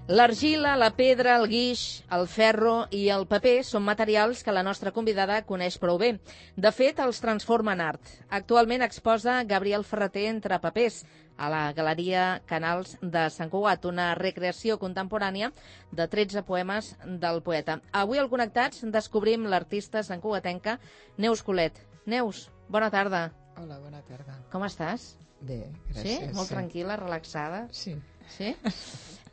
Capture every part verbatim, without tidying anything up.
L'argila, la pedra, el guix, el ferro i el paper són materials que la nostra convidada coneix prou bé. De fet, els transforma en art. Actualment exposa Gabriel Ferrater entre papers a la Galeria Canals de Sant Cugat, una recreació contemporània de tretze poemes del poeta. Avui al Connectats descobrim l'artista santcugatenca Neus Colet. Neus, bona tarda. Hola, bona tarda. Com estàs? Bé, gràcies. Sí? Molt sí. tranquil·la, relaxada? Sí. Sí?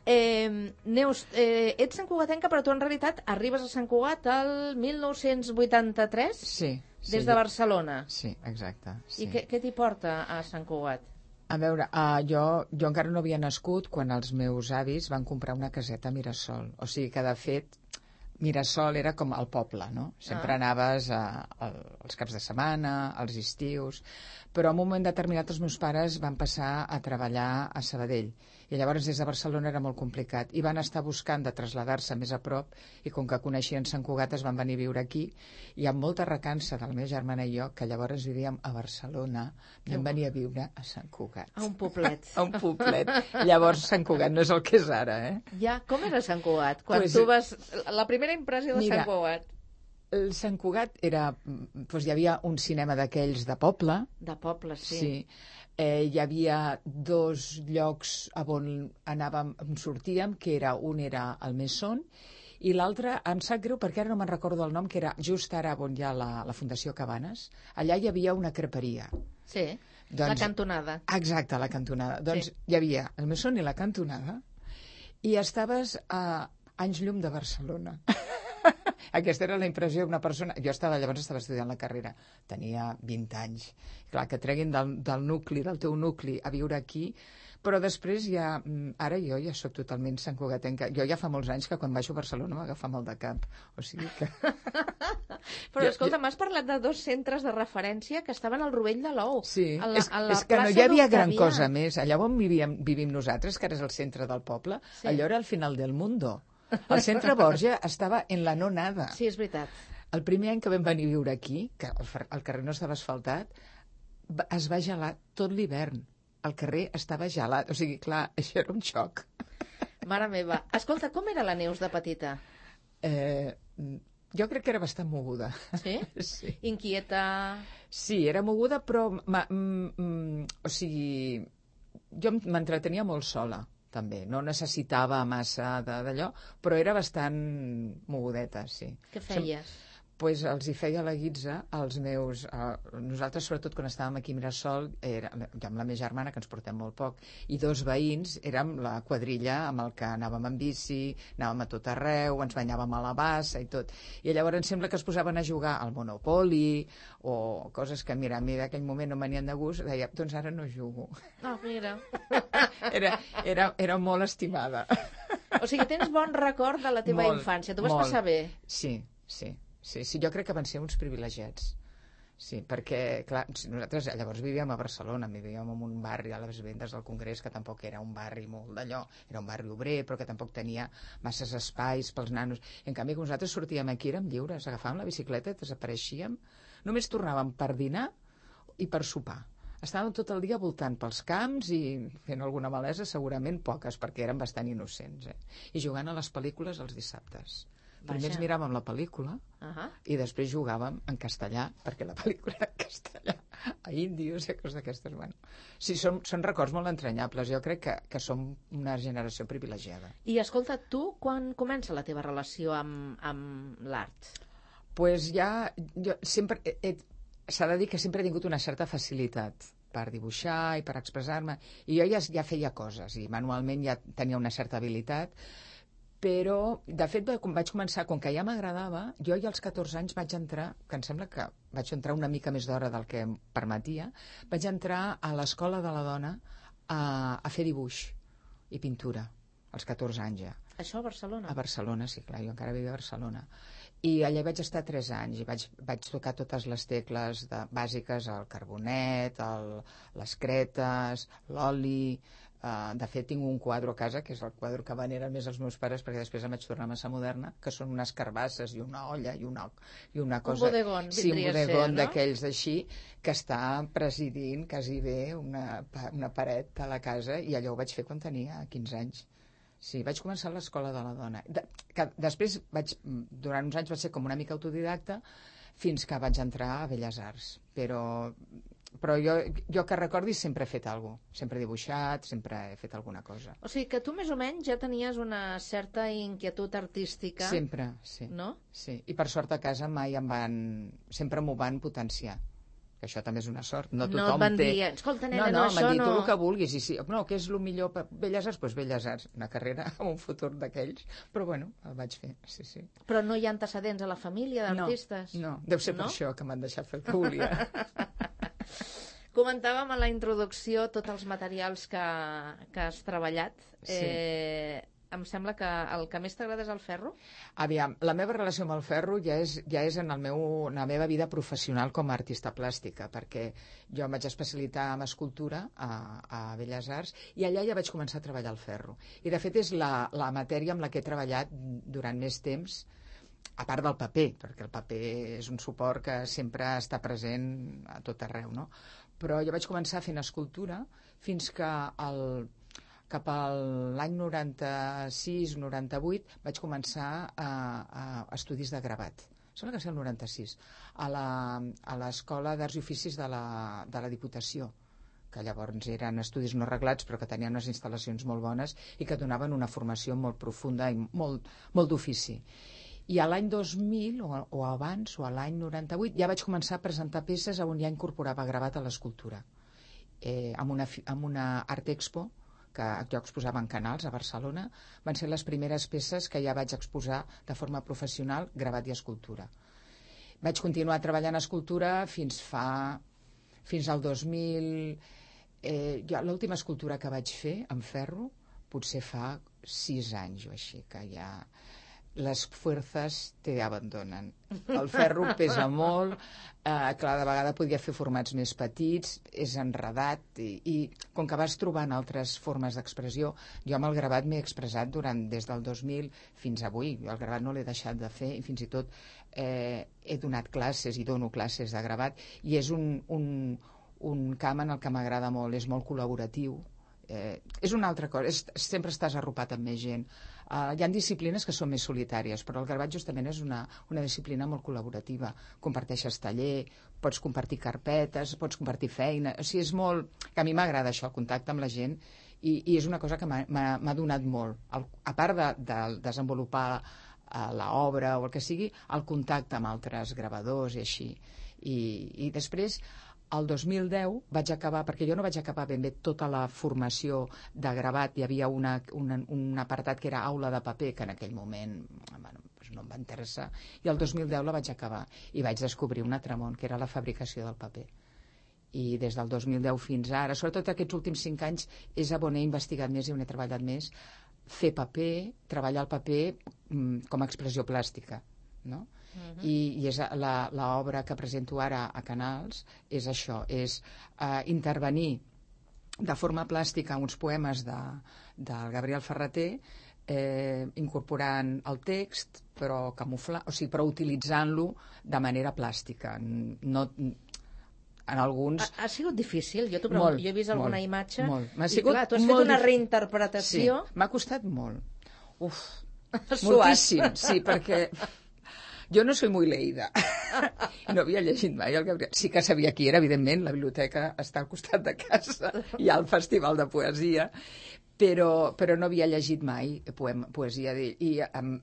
Eh, Neus, eh, ets santcugatenca, però tu en realitat arribes a Sant Cugat el mil nou-cents vuitanta-tres? Sí. sí Des de Barcelona? Sí, exacte. Sí. I què, què t'hi porta a Sant Cugat? A veure, uh, jo, jo encara no havia nascut quan els meus avis van comprar una caseta a Mirasol. O sigui que, de fet, Mirasol era com el poble, no? Sempre ah. anaves a, a, als caps de setmana, als estius, però en un moment determinat els meus pares van passar a treballar a Sabadell i llavors des de Barcelona era molt complicat i van estar buscant de traslladar-se més a prop i com que coneixien Sant Cugat es van venir a viure aquí i amb molta recança de la meva germana i jo, que llavors vivíem a Barcelona, vam venir a viure a Sant Cugat. A un poblet. A un poblet. Llavors Sant Cugat no és el que és ara, eh? Ja, com era Sant Cugat? Quan pues, tu vas... La primera impressió de mira, Sant Cugat. El Sant Cugat era... Doncs hi havia un cinema d'aquells de poble. De poble, sí. Sí. Eh, hi havia dos llocs on anàvem, on sortíem, que era, un era el Mesón, i l'altre, em sap greu perquè ara no me'n recordo el nom, que era just ara on hi ha la, la Fundació Cabanes. Allà hi havia una creperia. Sí, doncs, la cantonada. Exacte, la cantonada. Doncs sí. Hi havia el Mesón i la cantonada, i estaves a anys llum de Barcelona. Aquesta era la impressió d'una persona... Jo estava, llavors estava estudiant la carrera, tenia vint anys. Clar, que treguin del, del nucli, del teu nucli, a viure aquí, però després ja... Ara jo ja sóc totalment santcugatenca. Jo ja fa molts anys que quan baixo a Barcelona m'agafa mal de cap. O sigui que... Però escolta, m'has parlat de dos centres de referència que estaven al Rovell de l'Ou. Sí, a la, és, a la és que no hi havia gran cosa més. més. Allà on vivíem, vivim nosaltres, que ara és el centre del poble, sí. Allò era al final del mundo. El centre Borja estava en la no nada. Sí, és veritat. El primer any que vam venir a viure aquí, que el, el carrer no estava asfaltat, es va gelar tot l'hivern. El carrer estava gelat. O sigui, clar, això era un xoc. Mare meva. Escolta, com era la Neus de petita? Eh, jo crec que era bastant moguda. Sí? Sí. Inquieta? Sí, era moguda, però... Ma, mm, mm, o sigui, jo m'entretenia molt sola. També. No necessitava massa d'allò, però era bastant mogudeta, sí. Què feies? Doncs pues, els hi feia la guitza als meus... Eh, nosaltres, sobretot, quan estàvem aquí a Mirasol, era, jo amb la meva germana, que ens portem molt poc, i dos veïns, érem la quadrilla amb el que anàvem en bici, anàvem a tot arreu, ens banyàvem a la bassa i tot. I llavors sembla que es posaven a jugar al Monopoly o coses que, mira, a mi d'aquell moment no m'anien de gust, deia, doncs ara no jugo. Ah, mira. Era, era, era molt estimada. O sigui, tens bon record de la teva molt, infància. Tu vas molt. passar bé. Sí, sí. Sí, sí, jo crec que van ser uns privilegiats. Sí, perquè, clar, nosaltres llavors vivíem a Barcelona, vivíem en un barri a les Vendes del Congrés, que tampoc era un barri molt d'allò, era un barri obrer, però que tampoc tenia masses espais pels nanos. En canvi, quan nosaltres sortíem aquí, érem lliures, agafàvem la bicicleta, desapareixíem, només tornàvem per dinar i per sopar. Estàvem tot el dia voltant pels camps i fent alguna malesa, segurament poques, perquè érem bastant innocents, eh? I jugant a les pel·lícules els dissabtes. Primer ens miràvem la pel·lícula uh -huh. i després jugàvem en castellà, perquè la pel·lícula era en castellà, a índios i coses d'aquestes. Bueno, sí, són, són records molt entranyables. Jo crec que, que som una generació privilegiada. I escolta, tu quan comença la teva relació amb, amb l'art? Doncs pues ja, jo sempre, s'ha de dir que sempre he tingut una certa facilitat per dibuixar i per expressar-me, i jo ja, ja feia coses, i manualment ja tenia una certa habilitat, però, de fet, vaig començar, com que ja m'agradava, jo ja als catorze anys vaig entrar, que em sembla que vaig entrar una mica més d'hora del que em permetia, vaig entrar a l'Escola de la Dona a, a fer dibuix i pintura, als catorze anys ja. Això a Barcelona? A Barcelona, sí, clar, jo encara vivia a Barcelona. I allà vaig estar tres anys i vaig, vaig tocar totes les tecles de, bàsiques, el carbonet, el, les cretes, l'oli... Uh, de fet, tinc un quadre a casa, que és el quadre que veneren més els meus pares, perquè després em vaig tornar massa moderna, que són unes carbasses i una olla i una, i una cosa... Un bodegón, sí, un bodegón no? d'aquells així, que està presidint quasi bé una, una paret a la casa, i allò ho vaig fer quan tenia quinze anys. Sí, vaig començar a l'Escola de la Dona. De, que després, vaig, durant uns anys vaig ser com una mica autodidacta fins que vaig entrar a Belles Arts. Però, però jo, jo que recordi sempre he fet alguna cosa. Sempre he dibuixat, sempre he fet alguna cosa. O sigui que tu més o menys ja tenies una certa inquietud artística. Sempre, sí. No? Sí. I per sort a casa mai em van... Sempre m'ho van potenciar. Que això també és una sort. No tothom no et van té... dir, escolta, nena, no, no, no, això m'han dit no... tu el que vulguis. I sí, no, què és el millor per Belles Arts? Doncs pues Belles Arts. Una carrera amb un futur d'aquells. Però bueno, el vaig fer, sí, sí. Però no hi ha antecedents a la família d'artistes? No, no, deu ser no? per això que m'han deixat fer el que volia. Comentàvem a la introducció tots els materials que, que has treballat. Sí. Eh, em sembla que el que més t'agrada és el ferro? Aviam, la meva relació amb el ferro ja és, ja és en, el meu, en la meva vida professional com a artista plàstica, perquè jo em vaig especialitzar en escultura a, a Belles Arts i allà ja vaig començar a treballar el ferro. I de fet és la, la matèria amb la que he treballat durant més temps, a part del paper, perquè el paper és un suport que sempre està present a tot arreu, no? Però jo vaig començar fent escultura fins que el cap a l'any noranta-sis noranta-vuit vaig començar a, a estudis de gravat. Sembla que ser el noranta-sis, a l'Escola d'Arts i Oficis de la, de la Diputació, que llavors eren estudis no reglats però que tenien unes instal·lacions molt bones i que donaven una formació molt profunda i molt, molt d'ofici. I a l'any dos mil, o, o abans, o a l'any noranta-vuit, ja vaig començar a presentar peces on ja incorporava gravat a l'escultura. Eh, amb, una, amb una Art Expo, que jo exposava en Canals, a Barcelona, van ser les primeres peces que ja vaig exposar de forma professional, gravat i escultura. Vaig continuar treballant escultura fins fa... fins al dos mil... Eh, l'última escultura que vaig fer, en ferro, potser fa sis anys o així, que ja... les fuerzas te abandonen. El ferro pesa molt, eh, clar, de vegada podia fer formats més petits, és enredat i, i com que vas trobant altres formes d'expressió, jo amb el gravat m'he expressat durant des del dos mil fins avui. El gravat no l'he deixat de fer i fins i tot eh, he donat classes i dono classes de gravat i és un, un, un camp en el que m'agrada molt, és molt col·laboratiu. Eh, és una altra cosa, és, sempre estàs arropat amb més gent. Uh, hi ha disciplines que són més solitàries, però el gravat justament és una, una disciplina molt col·laborativa. Comparteixes taller, pots compartir carpetes, pots compartir feina... O sigui, és molt... Que a mi m'agrada això, el contacte amb la gent, i, i és una cosa que m'ha donat molt. El, a part de, de desenvolupar uh, l'obra o el que sigui, el contacte amb altres gravadors i així. I, i després... El dos mil deu vaig acabar, perquè jo no vaig acabar ben bé tota la formació de gravat, hi havia una, una, un apartat que era aula de paper, que en aquell moment bueno, no em va interessar, i el dos mil deu la vaig acabar, i vaig descobrir un altre món, que era la fabricació del paper. I des del dos mil deu fins ara, sobretot aquests últims cinc anys, és on he investigat més i on he treballat més, fer paper, treballar el paper mm, com a expressió plàstica, no? Uh-huh. I, i és l'obra que presento ara a Canals és això, és uh, intervenir de forma plàstica uns poemes de, del Gabriel Ferrater, eh, incorporant el text però camuflar, o sigui, però utilitzant-lo de manera plàstica. No, en alguns... Ha, ha sigut difícil? Jo, molt, jo he vist alguna molt, imatge molt. I clar, tu has fet una reinterpretació. Sí, m'ha costat molt. Uf, moltíssim, sí, perquè... Jo no soy muy leída. No havia llegit mai el Gabriel. Sí que sabia qui era, evidentment, la biblioteca està al costat de casa, hi ha el festival de poesia, però, però no havia llegit mai poema, poesia d'ell. I em,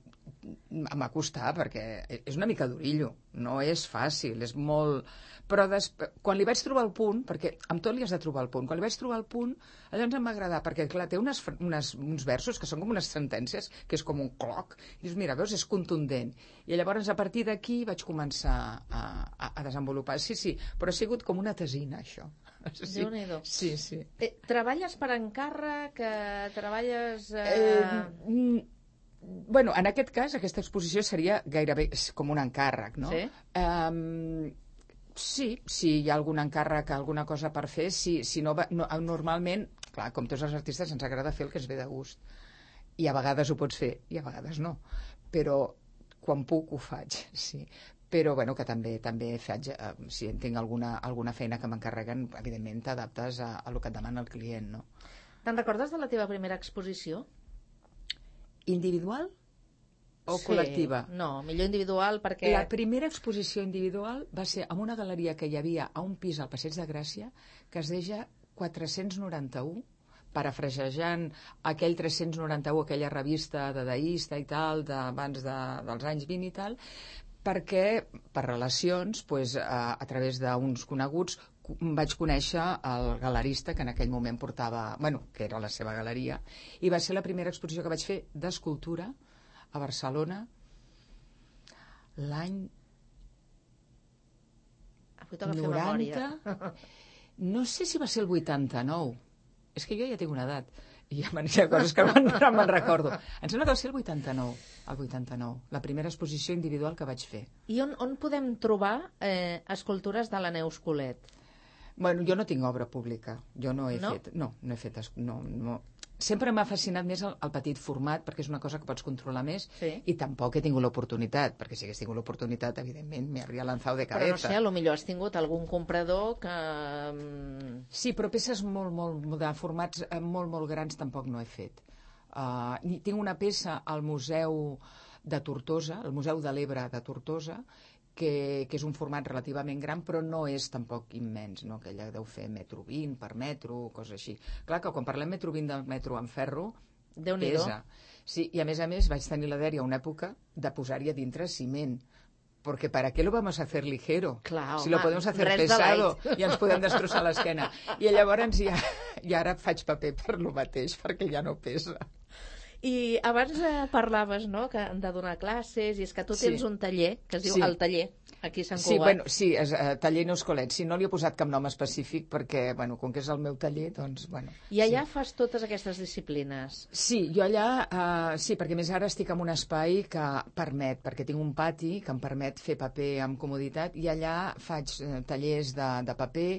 m'ha costat perquè és una mica d'orillo, no és fàcil, és molt... Però des... quan li vaig trobar el punt, perquè amb tot li has de trobar el punt, quan li vaig trobar el punt, llavors em va agradar, perquè clar, té unes, unes, uns versos que són com unes sentències, que és com un cloc, i dius, mira, veus, és contundent. I llavors a partir d'aquí vaig començar a, a, a desenvolupar. Sí, sí, però ha sigut com una tesina, això. Sí, Déu-n'hi-do. Sí, sí. Eh, treballes per encàrrec, eh, treballes... Eh... Eh, bueno, en aquest cas, aquesta exposició seria gairebé com un encàrrec, no? Sí. Um, sí, si hi ha algun encàrrec, alguna cosa per fer, sí, si no, no, normalment, clar, com tots els artistes ens agrada fer el que ens ve de gust. I a vegades ho pots fer, i a vegades no. Però quan puc ho faig, sí. Però, bueno, que també també faig, eh, si tinc alguna, alguna feina que m'encarreguen, evidentment t'adaptes a, a el que et demana el client, no? Te'n recordes de la teva primera exposició? Individual o Sí, col·lectiva? No, millor individual perquè... La primera exposició individual va ser en una galeria que hi havia a un pis al Passeig de Gràcia que es deia quatre-cents noranta-u, parafrasejant aquell tres-cents noranta-u, aquella revista dadaista i tal, d'abans de, dels anys vint i tal, perquè per relacions, pues, a, a través d'uns coneguts, vaig conèixer el galerista que en aquell moment portava, bueno, que era la seva galeria, i va ser la primera exposició que vaig fer d'escultura a Barcelona l'any noranta. No sé si va ser el vuitanta-nou. És que jo ja tinc una edat i ja hi ha coses que no me'n recordo. Em sembla que va ser el vuitanta-nou, el vuitanta-nou, la primera exposició individual que vaig fer. I on, on podem trobar eh, escultures de la Neus Colet? Bueno, jo no tinc obra pública. Jo no he no? fet... No, no he fet... No, no. Sempre m'ha fascinat més el, el petit format, perquè és una cosa que pots controlar més, sí. I tampoc he tingut l'oportunitat, perquè si hagués tingut l'oportunitat, evidentment, me habría lanzado de cabeza. Però no sé, a lo millor has tingut algun comprador que... Sí, però peces molt, molt, de formats molt, molt grans tampoc no he fet. Uh, tinc una peça al Museu de Tortosa, el Museu de l'Ebre de Tortosa, que, que és un format relativament gran, però no és tampoc immens, no? Que ella deu fer metro vint per metro, coses així. Clar que quan parlem metro vint del metro en ferro, pesa. Sí, i a més a més vaig tenir la dèria una època de posar-hi a dintre ciment, perquè ¿para qué lo vamos a hacer ligero? Clar, si lo podemos hacer pesado i ens podem destrossar l'esquena. I llavors ja, ja ara faig paper per lo mateix, perquè ja no pesa. I abans eh, parlaves, no?, que de donar classes, i és que tu tens sí. un taller, que es diu sí. El Taller, aquí a Sant Cugat. Sí, bueno, sí, és uh, Taller Neus Colet. Sí, no li he posat cap nom específic perquè, bueno, com que és el meu taller, doncs, bueno... I allà sí. fas totes aquestes disciplines? Sí, jo allà, uh, sí, perquè més ara estic en un espai que permet, perquè tinc un pati que em permet fer paper amb comoditat, i allà faig uh, tallers de, de paper,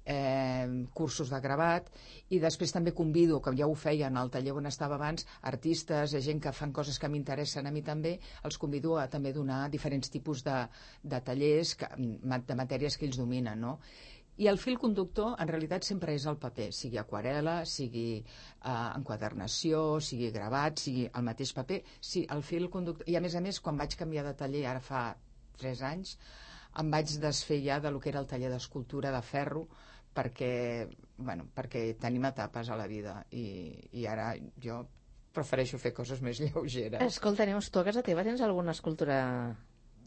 Eh, cursos de gravat, i després també convido, com ja ho feia en el taller on estava abans, artistes, gent que fan coses que m'interessen a mi també, els convido a també donar diferents tipus de, de tallers que, de matèries que ells dominen, no? I el fil conductor en realitat sempre és el paper, sigui aquarel·la, sigui eh, enquadernació, sigui gravat, sigui el mateix paper. Sí, el fil conductor. I a més a més, quan vaig canviar de taller, ara fa tres anys, em vaig desfer ja de lo que era el taller d'escultura de ferro, perquè, bueno, perquè tenim etapes a la vida i, i ara jo prefereixo fer coses més lleugeres. Escolta, Neus, tu a casa teva tens alguna escultura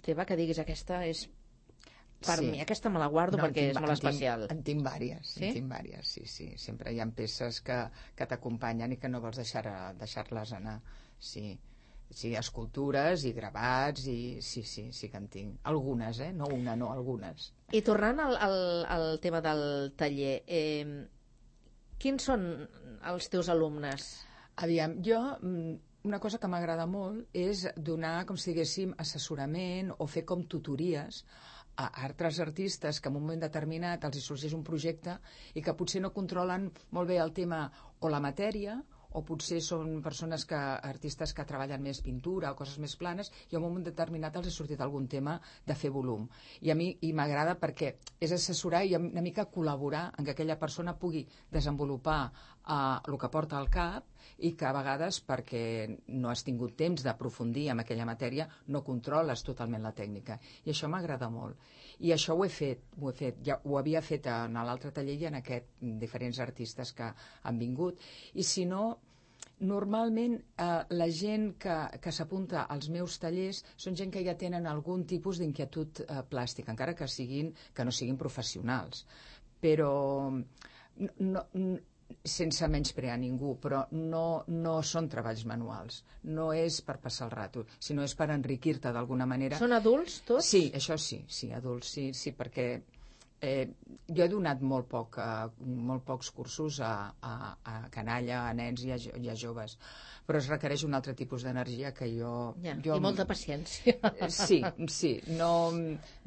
teva que diguis aquesta és per sí. mi, aquesta me la guardo no, perquè tinc, és molt especial? En tinc vàries, sí? en tinc vàries, sí, sí. Sempre hi ha peces que, que t'acompanyen i que no vols deixar, deixar-les anar, sí. Sí, escultures i gravats i sí, sí, sí que en tinc. Algunes, eh? No una, no, algunes. I tornant al, al, al tema del taller, eh, quins són els teus alumnes? Aviam, jo, una cosa que m'agrada molt és donar, com si diguéssim, assessorament o fer com tutories a altres artistes que en un moment determinat els hi sorgeix un projecte i que potser no controlen molt bé el tema o la matèria, o potser són persones que, artistes que treballen més pintura o coses més planes, i en un moment determinat els ha sortit algun tema de fer volum. I a mi i m'agrada perquè és assessorar i una mica col·laborar en que aquella persona pugui desenvolupar uh, el que porta al cap i que a vegades, perquè no has tingut temps d'aprofundir en aquella matèria, no controles totalment la tècnica. I això m'agrada molt. I això ho he fet, ho he fet. Ja ho havia fet en l'altre taller i en aquest, diferents artistes que han vingut. I si no, normalment eh, la gent que, que s'apunta als meus tallers són gent que ja tenen algun tipus d'inquietud eh, plàstica, encara que, siguin, que no siguin professionals. Però no, no, sense menysprear ningú, però no, no són treballs manuals, no és per passar el rato, sinó és per enriquir-te d'alguna manera. Són adults tots? Sí, això sí, sí, adults, sí, sí, perquè eh, jo he donat molt, poc, eh, molt pocs cursos a, a, a canalla, a nens i a, i a joves, però es requereix un altre tipus d'energia que jo... Ja, jo I molta paciència. Sí, sí, no,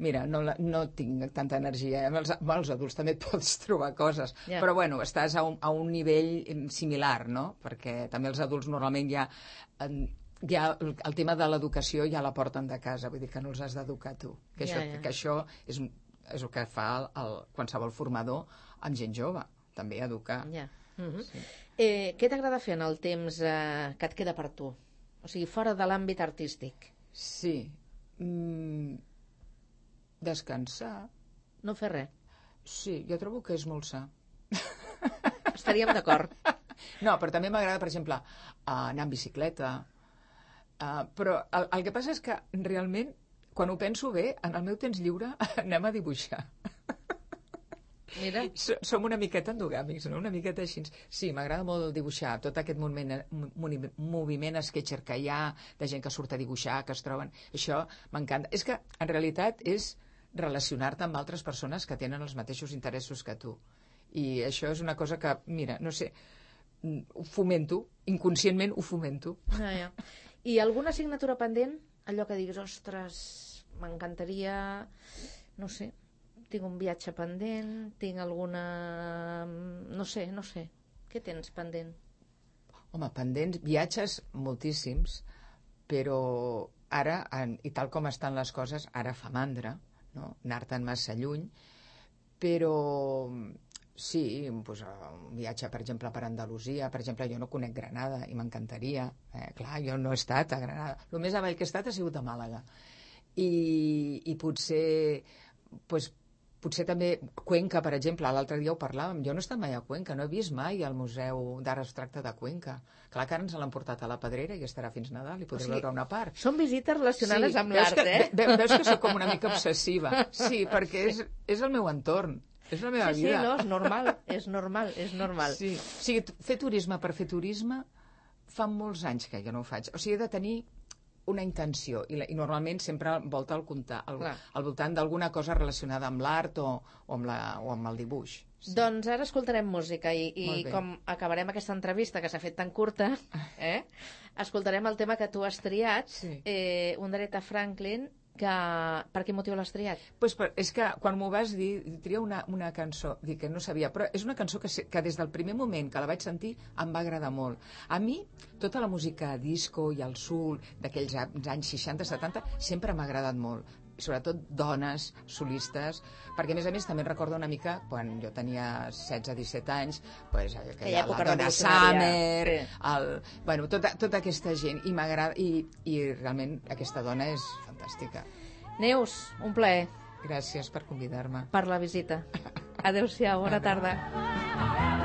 mira, no, no tinc tanta energia. Amb els, amb els adults també et pots trobar coses, ja. Però bueno, estàs a un, a un nivell similar, no? Perquè també els adults normalment ja... ja el tema de l'educació ja la porten de casa, vull dir que no els has d'educar tu. Que això, ja, ja. Que això és, és el que fa el, el, qualsevol formador amb gent jove, també educar. Ja. Uh-huh. Sí. Eh, què t'agrada fer en el temps eh, que et queda per tu? O sigui, fora de l'àmbit artístic. Sí. Mm, descansar. No fer res. Sí, jo trobo que és molt sa. Estaríem d'acord. No, però també m'agrada, per exemple, anar en bicicleta. Uh, però el, el que passa és que realment, quan ho penso bé, en el meu temps lliure anem a dibuixar. Mira. Som una miqueta endogàmics, no? Una miqueta així. Sí, m'agrada molt dibuixar, tot aquest moviment, moviment sketcher que hi ha, de gent que surt a dibuixar, que es troben, això m'encanta. És que, en realitat, és relacionar-te amb altres persones que tenen els mateixos interessos que tu. I això és una cosa que, mira, no sé, ho fomento, inconscientment ho fomento. Ah, ja. I alguna assignatura pendent? Allò que diguis, ostres, m'encantaria, no sé, tinc un viatge pendent, tinc alguna... no sé, no sé. Què tens pendent? Home, pendents, viatges moltíssims, però ara, i tal com estan les coses, ara fa mandra, no? Anar-te'n massa lluny, però sí, doncs, un viatge, per exemple, per Andalusia, per exemple, jo no conec Granada i m'encantaria, eh? Clar, jo no he estat a Granada, el més avall que he estat ha sigut a Màlaga, i, i potser, doncs, potser també Cuenca, per exemple, l'altre dia ho parlàvem, jo no he estat mai a Cuenca, no he vist mai el Museu d'Art Abstracte de Cuenca. Clar que ara ens l'han portat a la Pedrera i estarà fins Nadal i podré o sigui, veure una part. Són visites relacionades sí, amb l'art, eh? Ve, veus que soc com una mica obsessiva. Sí, perquè és, és el meu entorn, és la meva sí, vida. Sí, no, és normal, és normal, és normal. Sí. O sigui, fer turisme per fer turisme fa molts anys que jo no ho faig. O sigui, he de tenir una intenció, i, la, i normalment sempre volta al, al, al voltant d'alguna cosa relacionada amb l'art o, o, amb la, o amb el dibuix. Sí. Doncs ara escoltarem música i, i com acabarem aquesta entrevista que s'ha fet tan curta, eh, escoltarem el tema que tu has triat, sí. eh, un d'Aretha Franklin, que... Per quin motiu l'has triat? Pues per, és que quan m'ho vas dir, tria una, una cançó, dic que no sabia, però és una cançó que, que des del primer moment que la vaig sentir em va agradar molt. A mi, tota la música disco i el soul d'aquells anys seixanta setanta sempre m'ha agradat molt, sobretot dones solistes, perquè a més a més també recordo una mica quan jo tenia setze disset anys, pues, que hi ha la Donna Summer, sí. el, bueno, tota, tota aquesta gent, i m'agrada, i, i realment aquesta dona és fantàstica. Neus, un plaer. Gràcies per convidar-me. Per la visita. Adéu-siau, bona tarda.